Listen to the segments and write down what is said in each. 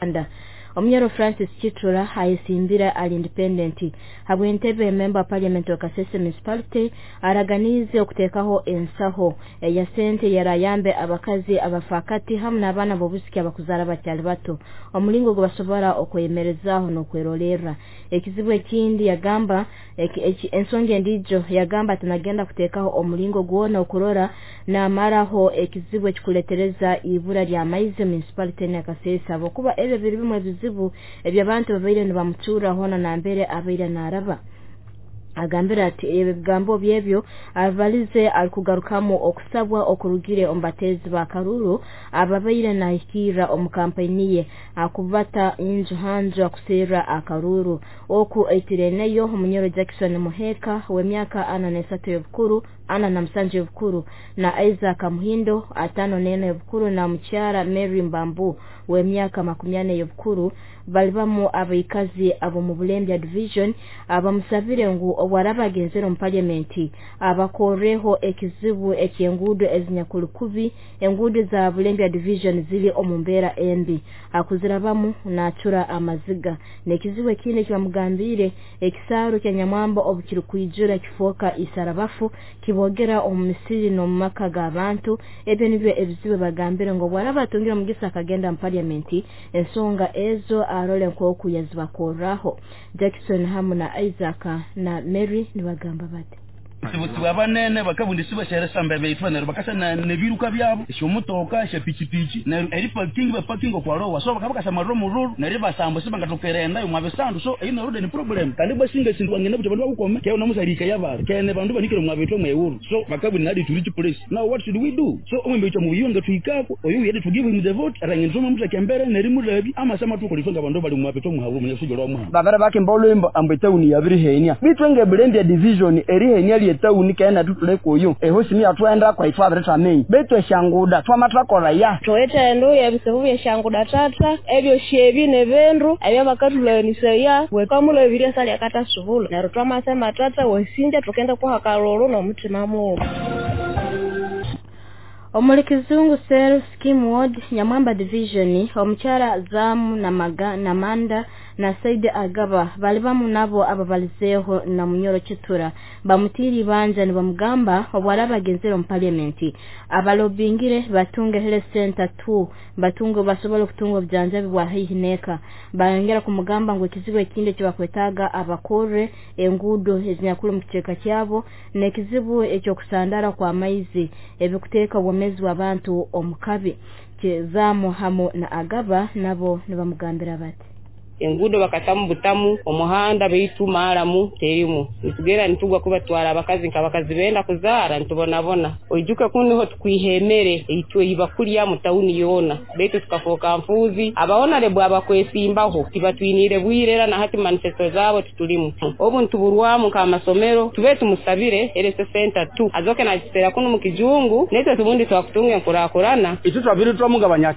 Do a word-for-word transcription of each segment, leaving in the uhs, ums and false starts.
Uganda. Omunyoro Francis Chitura ayesimbira ali independent habw'entebe member of parliament wa Kasese Municipality araganize okuteekaho ensaho eya sente yarayambe abakazi abafaakati hamu n'abaana b'obusiki abakuzaara bakyali bato omulingo gwe okweyemerezaaho n'okwerolerra. Ekizibu ekindi yagamba ensonga endiijo yagamba ati nagenda kuteekaho omulingo gwona okurora namaraho ekizibu ekikuletereza ibura ly'amaizi municipality ya Kasese, habwokuba ebyo biri bimu ebizibu eby'abantu babaire nibamutuura hoona nambere abaire naaraba. Agambira ati ebigambo byebyo abalize alikugarukamu okusabwa okurugire omu bateezi ba Karuru ababaire nahikirra omu kampeyini ye akubata inju hanju akuseerra akaruru. Oku aitireneyo Omunyoro Jackson Muheka w'emyaka ana n'esatu y'obukuru, ana na musanju y'obukuru, na Isaac Muhindo atano n'ena y'obukuru, na mukyara Mary Mbambu w'emyaka makumi ana y'obukuru balibamu abaikazi ab'omu Bulembya Division abamusabire ngu obwaraba agenzere omu parliament abakorreho ekizibu eky'enguudo ezinyakuli kubi. Enguudo za Bulembya Division ziri omu mbeera embi, akuzirabamu naacura amaziga. N'ekizibu ekindi ekibamugambiire, ekisaaru kya Nyamwamba obu kirikwijura kifooka isarabafu kibogera omu misiri n'omu maka g'abantu. Ebyo nibyo ebizibu bagambire ngu obwaraba atungire omugisa akagenda mu parliament ensonga ezo arole nk'oku yazibakorraho. Jackson hamu na Isaac na Mary nibagamba bati sibusibu abanene bakabundisi basheresamba beitwa neryo bakasa nebiruka byabo esyomotoka esyapikipiiki neryo eri parking baparking okwalowa so bakabakasa marro mururu neryo basambo sibangatokerenda yo mwabisandu so ino road ni problem kandi basinga sindu wangene buti bandu bakukome kye namusalika yabara kene bandu banikire mwabitwa mwewuru so bakabu nadi to reach place. Now what should we do? So omwembe icho mubiyonga tuikako oyu yedi to give him the vote arangenzoma mutakembere neri murabi amasama tukolifanga bandu bali mwabitwa muhabu munyasujolo mwa babara bakimbolwembo ambwe town yabirihenia bitwenge Bulembya Division erihenia etawuni kena tutuleko ehosi atwenda kwa ifwa abireta betu eshanguda twamatakora ya tweta endo yabisebu byeshanguda tata ebyo shebi nebendu ebyo bakatulanisaya wekamula ebirya sali akata subula neryo twamasema tata wesinja tukenda kwa kalolo n'omutima mubi. Omuli Kizungu Self Scheme Ward Nyamwamba Division omukyara Zamu na Maga na Manda na Said Agaba balibamu nabo ababalizeeho na Munyoro Chitura bamutiri banja nibamugamba obwaraba agenzere omu parliament abalobingire batunge health center two batunge basobole okutunga obujanjabi bwa haihi neka. Bayongera kumugamba ngu ekizibu ekindi ekibakwetaaga abakorre enguudo ezinyakuli mu kicweka kyabo n'ekizibu ekyokusandara kwa maizi ebikuteeka obwomeezi bw'abantu omu kabi. Zamu hamu na Agaba nabo nibamugambira bati enguudo bakatamu butamu omuhanda beitu maaramu terimu nitugenda nitugwa kubatwara abakazi nk'abakazi benda kuzaara nitubonabona oijuke kuniho tukwihemere eitwe ibakulya mu tawuni yoona beitu tukafoka nfuzi abahonarebwa abakwesimbaho tibatwinire bwire era na hati manifesto zabo tutulimu obu ntuburwamu nk'amasomero tube tumusabire erese center two azoke nakisera kuno mu kijungu netwe tubundi twakutunga enkurakurana itu twabiri twamugabanya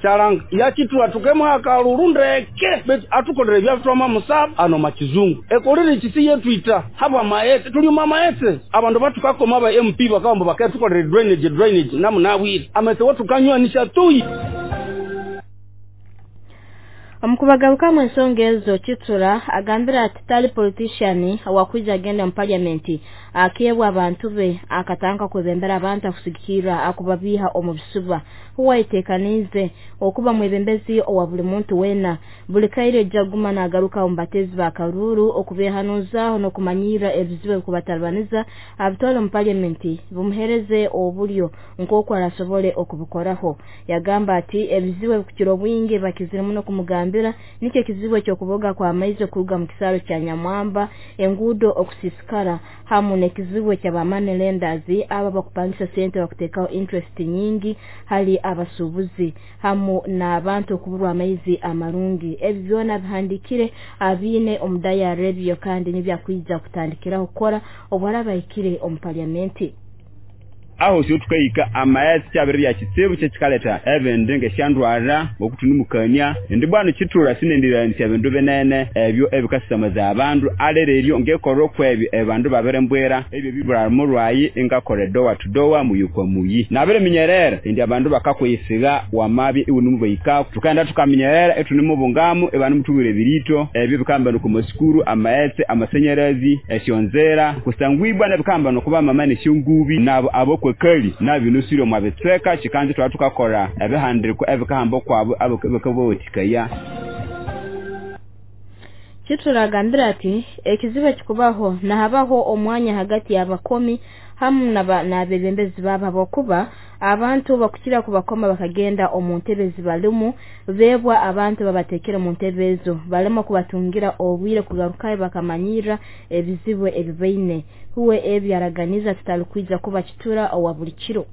yachitura tukemwa akalurundeke atuko byatwama musaba ano makizungu ekolere chisi yetwita haba maete tuli mama ete abantu batukakoma ba M P bakamba bakatukolere drainage drainage namu nawiri amete watukanywa nishatui. Omukubagaruka mu ensonga ezo Chitura agambira ati tali politician awakwija agenda mu parliament akebwa abantu be akatanga kwebembera abantu akusigikira akubabiha omu bisuba huwaitekanize okuba mwebembezi owa buli muntu wena buli kaire jaguma nagaruka omu batezi ba Karuru okubehanuzaho n'okumanyira ebizibu kubatalibaniza abitwale mu parliament bumuhereze obulyo nk'oku arasobole okubukoraho. Yagamba ati ebizibu ebikukira obwingi bakizire muno kumugamba nikyo ekizibu ekyokuboga kwa maizi okuruga mu kisaro kya Nyamwamba, enguudo okusisikara hamu n'ekizibu eky'aba money lenders aba bakupangisa sente bakuteekaho interest nyingi hali abasuubuzi hamu n'abantu okuburwa amaizi amarungi. Ebyo byona bihandikire abiine omu diary ebyo kandi nibyakwija kutandikiraho kukora obwaraba ahikire omu parliament. Aho syo tukahika amaghetse kyabiri bya kitsibu kyekikaleta ebindi ngesyandwara ngokutunimukania. Indi bwanu Kitura sinendiranisa ebindu binene ebyo ebikasamaza abandu alereryo ngekorwa kwebyo abandu babirembwera ebyo bibura mulwayi ingakore dowa to dowa muyukwa muyi nabire minyerera indi abandu bakakwisiga wamabi iwunumubaika tukanda tukaminyerera etunimubungamu ebanu mutubire birito ebyo bikamba ku masikuru amaghetse amasenyerezi esyonzera kusangwibwa nebikamba nokuba mama nesyongubi nabo abokwekali nabinusiro mwabetseka kikanzi twatukakora ebihandiriko ebikahamba kwabo abakabotikaya. Kitura agambira ati ekizibu kikubaho nahabaho omwanya hagati y'abakomi hamu n'abebembezi babo habwokuba abantu bakukira kubakoma bakagenda omu ntebe zibalimu bebwa abantu babatekera mu ntebe ezo balema kubatungira obwire kugarukayo bakamanyira ebizibu ebibaine. Huwe ebyaraganiza tutalikwija kuba Kitura owa buli kiro.